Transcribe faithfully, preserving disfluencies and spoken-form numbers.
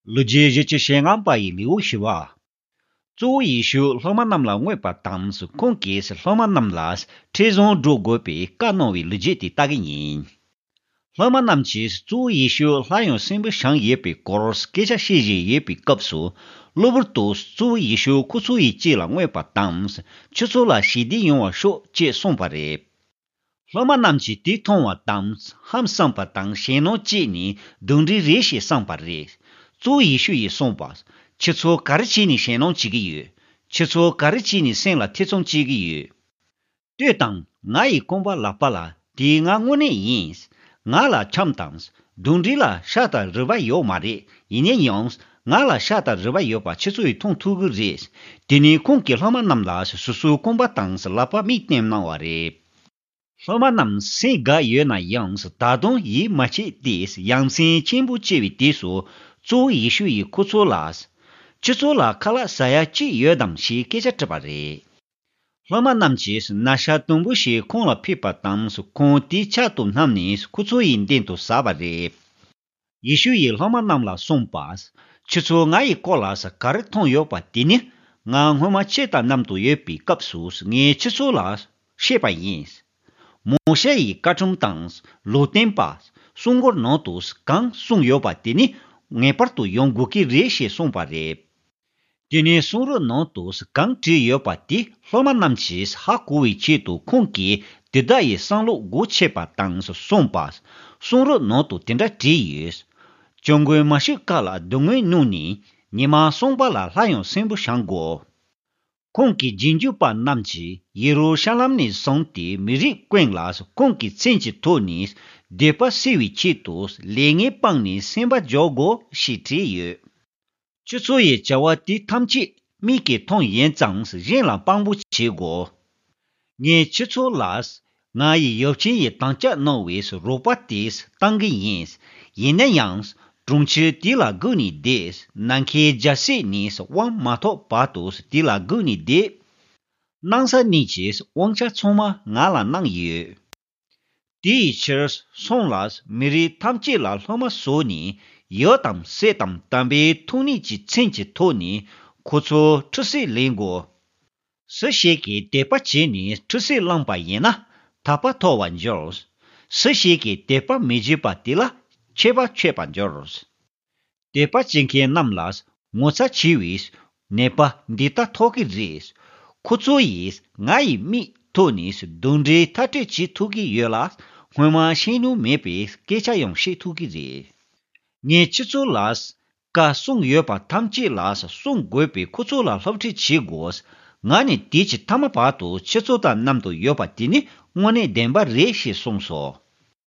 ལོ་རྒྱུས་བཞི་བཅུ་ཞེ་ལྔ་པ་ཡི་ལེའུ་བཞི་པ། གཙོ་བོ་ཡེ་ཤུ་སློབ་མ་རྣམས་ལ་མངོན་པ་དང་། ཁོང་གིས་སློབ་མ་རྣམས་ལ་འཕྲིན་བཟང་སྒྲོག་དགོས་པའི་བཀའ་གནང་བའི་ལོ་རྒྱུས་དེ་ལྟ་གི་ཡིན། སློབ་མ་རྣམས་ཀྱིས་གཙོ་བོ་ཡེ་ཤུ་སླར་ཡང་གསོན་པོ་བྱུང་ཡོད་པའི་སྐོར་སྐད་ཆ་བཤད་བཞིན་ཡོད་པའི་སྐབས་སུ། གློ་བུར་དུ་གཙོ་བོ་ཡེ་ཤུ་ཁོ་ཚོ་ཡི་རྗེས་ལ་མངོན་པ་དང་། ཁྱོད་ཚོ་ལ་ཞི་བདེ་ཡོང་བར་ཤོག་ཅེས་གསུངས་པ་རེད། སློབ་མ་རྣམས་ཀྱིས་དེ་མཐོང་བ་དང་ཧང་སངས་པ་དང་ཞེད་སྣང་སྐྱེས་ནས་གདོན་འདྲེ་རེད་ཞེས་བསམས་པ་རེད། གཙོ་བོ་ཡེ་ཤུ་ཡིས་གསུངས་པ། ཁྱེད་ཚོ་ག་རེ་བྱས་ནས་ཞེད་སྣང་བྱེད་ཀྱི་ཡོད། ཁྱེད་ཚོ་ག་རེ་བྱས་ནས་སེམས་ལ་ཐེ་ཚོམ་སྐྱེ་གི་ཡོད། ལྟོས་དང་། ང་ཡི་རྐང་པ་ལག་པ་ལ་དེ་ང་དངོས་གནས་ཡིན། ང་ལ་ཆམ་དང་། གདོན་འདྲེ་ལ་ཤ་དང་རུས་པ་ཡོད་མ་རེད། ཡིན་ན་ཡང་། ང་ལ་ཤ་དང་རུས་པ་ཡོད་པ་ཁྱེད་ཚོ་ཡིས་མཐོང་ཐུབ་ཀྱི་རེད། དེ་ནས་ཁོང་གིས་སློབ་མ་རྣམས་ལ་སོ་སོའི་རྐང་པ་དང་ལག་པ་མིག་བསྟན་གནང་བ་རེད། སློབ་མ་རྣམས་སེམས་དགའ་ཡོད་ན་ཡང་ད་དུང་ཡིད་མ་ཆེས་ཏེ་ཡ་མཚན་ཆེན་པོ་སྐྱེ་བའི་དུས་སུ་གཙོ་བོ་ཡེ་ཤུ་ཡིས་ཁོ་ཚོ་ལ། ཁྱེད་ཚོ་ལ་ཁ་ལག་ཟ་ཡ་ཅི་ཡོད་དམ་ཞེས་སྐད་ཆ་དྲིས་པ་རེད། སློབ་མ་རྣམས་ཀྱིས་ན་ཚ་དུམ་བུ་ཞིག་ཁོང་ལ་ཕུལ་པ་དང་ཁོང་དེའི་ཕྱག་ཏུ་བསྣམས་ནས་ཁོ་ཚོ་ཡི་མདུན་དུ་ཟ་བ་རེད། ཡེ་ཤུ་ཡིས་སློབ་མ་རྣམས་ལ་གསུངས་པ། ཁྱེད་ཚོ་ང་ཡི་སྐོར་ལ་ག་རེ་མཐོང་ཡོད་པ་དེ་ནི་ང་སྔོན་མ་ཁྱེད་དང་མཉམ་དུ་ཡོད་པའི་སྐབས་སུ་ངས་ཁྱེད་ཚོ་ལ་བཤད་པ་ཡིན། མོ་ཤེ་ཡི་བཀའ་ཁྲིམས་དང་ལུང་སྟོན་པ་གསུང་མགུར་ནང་དུ་གང་གསུངས་ཡོད་པ་དེ་ནི་ངེས་པར་དུ་ཡོང་དགོས་ཀྱི་རེད་ཞེས་གསུངས་པ་རེད། དེ་ནས་གསུང་རབ་ནང་དུ་གང་བྲིས་ཡོད་པ་དེ་སློབ་མ་རྣམས་ཀྱིས་ཧ་གོ་བའི་ཆེད་དུ་ཁོང་གིས་དེ་དག་ཡི་བསམ་བློ་སྒོ་ཕྱེས་པ་དང་གསུངས་པ། གསུང་རབ་ནང་དུ་དེ་འདྲ་བྲིས་ཡོད། སྐྱབས་མགོན་མཱ་ཤི་ཀ་ལ་སྡུག་བསྔལ་མྱོང་ནས་ཉི་མ་གསུམ་པ་ལ་སླར་ཡང་གསོན་པོ་བྱུང་དགོས། ཁོང་གི་རྗེས་འཇུག་པ་རྣམས་ཀྱིས་ཡེ་རུ་ཤ་ལམ་ནས་བཟུང་སྟེ་མི་རིགས་ཀུན་ལ་ཁོང་གི་མཚན་གྱི་ཐོག་ནས་སྡིག་པ་སེལ་བའི་ཆེད་དུ་ལས་ངན་སྤངས་ནས་སེམས་པ་འཇོག་དགོས་ཞེས་བྲིས་ཡོད། ཁྱེད་ཚོ་ཡི་བྱ་བ་དེ་ཐམས་ཅད་མིག་གིས་མཐོང་ཡིན་ཙང་གཞན་ལ་དཔང་པོ་བྱེད་དགོས། ངས་ཁྱེད་ཚོ་ལ་ང་ཡི་ཡབ་ཆེན་ཡི་དམ་བཅའ་གནང་བའི་རོགས་པ་དེ་བཏང་གི་ཡིན། ཡིན་ན་ཡང་གྲོང་ཁྱེར་དེ་ལ་སྒུག་ནས་བསྡད། ནམ་མཁའི་རྒྱལ་སྲིད་ནས་དབང་མ་ཐོབ་བར་དུ་དེ་ལ་སྒུག་ནས་བསྡད། སྣང་ས་གནས་ཀྱི་དབང་ཆ་ཚང་མ་ང་ལ་གནང་ཡོད། དེའི་ཕྱིར་སོང་ལ་མི་རིགས་ཐམས་ཅད་ལ་སློབ་མ་བཟོས་ནས་ཡབ་དང་སྲས་དང་དམ་པའི་ཐུགས་ཉིད་ཀྱི་མཚན་གྱི་ཐོག་ནས་ཁོ་ཚོ་ཁྲུས་གསོལ་ལེན་དགོས། སུ་ཞིག་གིས་དད་པ་བྱས་ནས་ཁྲུས་གསོལ་བླངས་པ་ཡིན་ན་ཐར་པ་ཐོབ་པར་འགྱུར། སུ་ཞིག་གིས་དད་པ་མི་བྱེད་པ་དེ་ལ་ཆད་པ་གཅོད་པར་འགྱུར། དད་པ་བྱེད་མཁན་རྣམས་ལ་ངོ་ཚ་ཆེ་བའི་ནད་པ་འདི་ལྟ་ཐོབ་ཀྱི་རེད། ཁོ་ཚོ་ཡིས་ང་ཡི་མིག་ཐོག་ནས་གདོན་འདྲེ་མཐར་སྐྲོད་བྱེད་ཐུབ་ཀྱི་ཡོད་ལ། སྔོན་མ་ཤེས་མྱོང་མེད་པའི་སྐད་ཆ་ཡང་བཤད་ཐུབ་ཀྱི་རེད། ངས་ཁྱེད་ཚོ་ལ་བཀའ་གསུངས་ཡོད་པ་ཐམས་ཅད་ལ་སྲུང་དགོས་པས་ཁོ་ཚོ་ལ་སློབ་ཁྲིད་བྱེད་དགོས། ང་ནི་དུས་ཀྱི་མཐའ་མ་བར་དུ་ཁྱེད་ཚོ་དང་མཉམ་དུ་ཡོད་པ་དེ་ནི་དངོས་གནས་བདེན་པ་རེད་ཞེས་གསུངས་སོ།